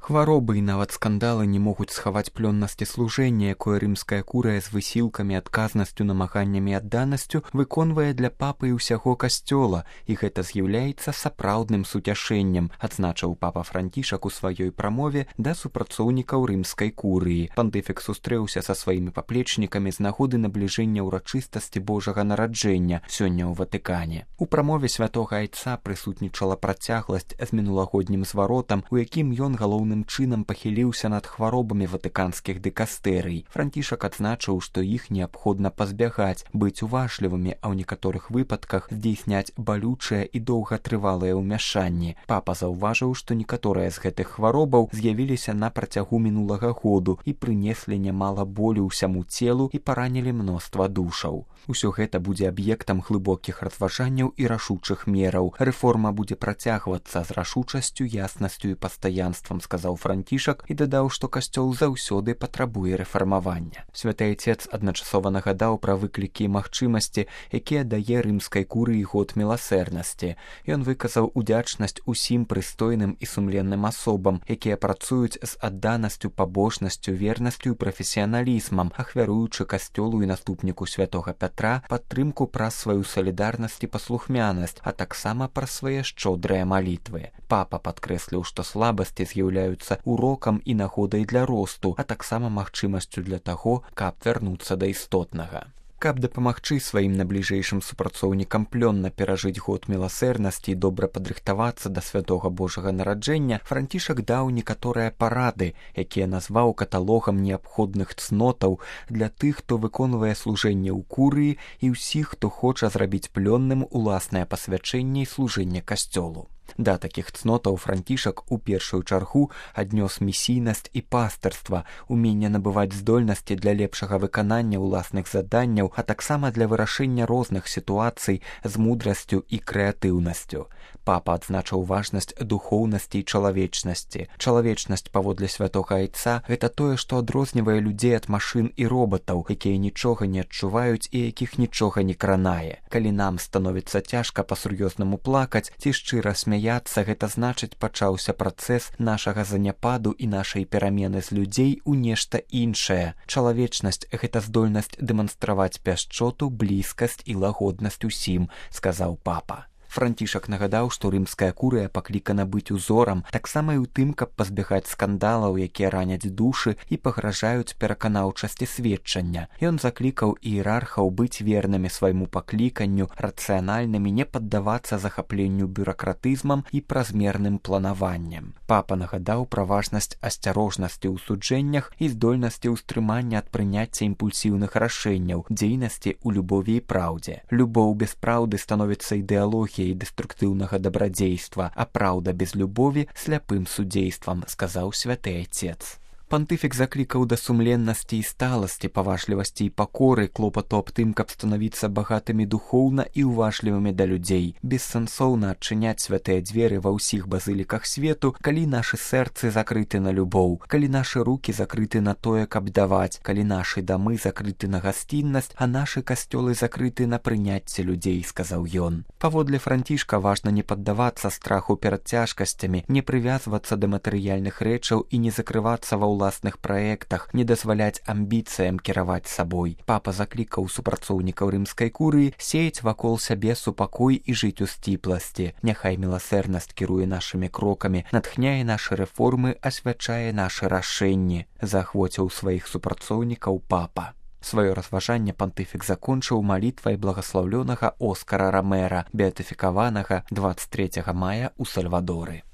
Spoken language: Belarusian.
Хваробы і нават скандалы не могуць схаваць плённасці служэння, якое рымская курыя з высілкамі, адказнасцю, намаганнямі і адданасцю выконвае для папы і ўсяго касцёла, і гэта з'яўляецца сапраўдным суцяшэннем, адзначыў папа Францішак у сваёй прамове да супрацоўнікаў рымскай курыі. Пантыфік сустрэўся са сваімі паплечнікамі з нагоды набліжэння ўрачыстасці Божага нараджэння сёння ў Ватыкане. У прамове святога айца прысутнічала працягласць з мінулагоднім зваротам, у якім ён галоўным чынам пахіліўся над хваробамі ватыканскіх дыкастэрый. Францішак адзначыў, што іх неабходна пазбягаць, быць уважлівымі, а ў некаторых выпадках здзейсняць балючыя і доўгатрывалыя ўмяшанні. Папа заўважыў, што некаторыя з гэтых хваробаў з'явіліся на працягу мінулага году і прынеслі нямала болю ўсяму целу і паранілі мноства душаў. Усё гэта будзе аб'ектам глыбокіх разважанняў і рашучых мераў. Рэформа будзе працягвацца з рашучасцю, яснасцю і пастаянствам, сказаў Францішак і дадаў, што касцёл заўсёды патрабуе рэфармавання. Святы айцец адначасова нагадаў пра выклікі і магчымасці, якія дае рымскай курыі год міласэрнасці. Ён выказаў удзячнасць усім прыстойным і сумленным асобам, якія працуюць з адданасцю, пабожнасцю, вернасцю і прафесіяналізмам, ахвяруючы касцёлу і наступніку святога Пятра падтрымку праз сваю салідарнасць і паслухмянасць, а таксама праз свае шчодрыя малітвы. Папа падкрэсліў, што слабасці з'яўляюцца урокам і нагодай для росту, а таксама магчымасцю для таго, каб вярнуцца да істотнага. Каб дапамагчы сваім набліжэйшым супрацоўнікам плённа перажыць год міласэрнасці і добра падрыхтавацца да святога Божага нараджэння, Францішак даў некаторыя парады, якія назваў каталогам неабходных цнотаў для тых, хто выконвае служэнне ў курыі і ўсіх, хто хоча зрабіць плённым уласнае пасвячэнне і служэнне касцёлу. Да такіх цнотаў Францішак у першую чаргу аднёс місійнасць і пастырства, уменне набываць здольнасці для лепшага выканання ўласных заданняў, а таксама для вырашэння розных сітуацый з мудрасцю і крэатыўнасцю. Папа адзначыў важнасць духоўнасці і чалавечнасці. Чалавечнасць паводле святога айца – гэта тое, што адрознівае людзей ад машын і робатаў, якія нічога не адчуваюць і якіх нічога не кранае. Калі нам становіцца цяжка па-сур'ёзнаму плакаць ці шчыра смяяцца, гэта значыць пачаўся працэс нашага заняпаду і нашай перамены з людзей у нешта іншае. Чалавечнасць – гэта здольнасць дэманстраваць пяшчоту, блізкасць і лагоднасць усім, сказаў папа. Францішак нагадаў, што рымская курыя паклікана быць узорам, таксама і ў тым, каб пазбягаць скандалаў, якія раняць душы і пагражаюць пераканаўчасці сведчання. Ён заклікаў іерархаў быць вернымі свайму пакліканню, рацыянальнымі, не паддавацца захапленню бюракратызмам і празмерным планаваннем. Папа нагадаў пра важнасць асцярожнасці ў суджэннях і здольнасці ўстрымання ад прыняцця імпульсіўных рашэнняў, дзейнасці ў любові і праўдзе. Любоў без праўды становіцца ідэалогіяй і дэструктыўнага дабрадзейства, а праўда без любові сляпым судзействам, сказаў святы айцец. Пантыфік заклікаў да сумленнасці і сталасці, паважлівасці і пакоры, клопату аб тым, каб станавіцца багатымі духоўна і уважлівымі да людзей. Бессэнсоўна адчыняць святыя дзверы ва ўсіх базыліках свету, калі нашы сэрцы закрыты на любоў, калі нашы рукі закрыты на тое, каб даваць, калі нашы дамы закрыты на гасціннасць, а нашы касцёлы закрыты на прыняцце людзей, сказаў ён. Паводле Францішка важна не паддавацца страху перад цяжкасцямі, не прывязвацца да матэрыяльных рэчаў і не закрывацца ва ўласных праектах, не дазваляць амбіцыям кіраваць сабой. Папа заклікаў супрацоўнікаў рымскай курыі сеяць вакол сябе супакой і жыць у сціпласці. Няхай міласэрнасць кіруе нашымі крокамі, натхняе нашы рэформы, асвячае нашы рашэнні, заахвоціў сваіх супрацоўнікаў папа. Сваё разважанне пантыфік закончыў малітвай благаслаўлёнага Оскара Ромера, беатыфікаванага 23 мая ў Сальвадоры.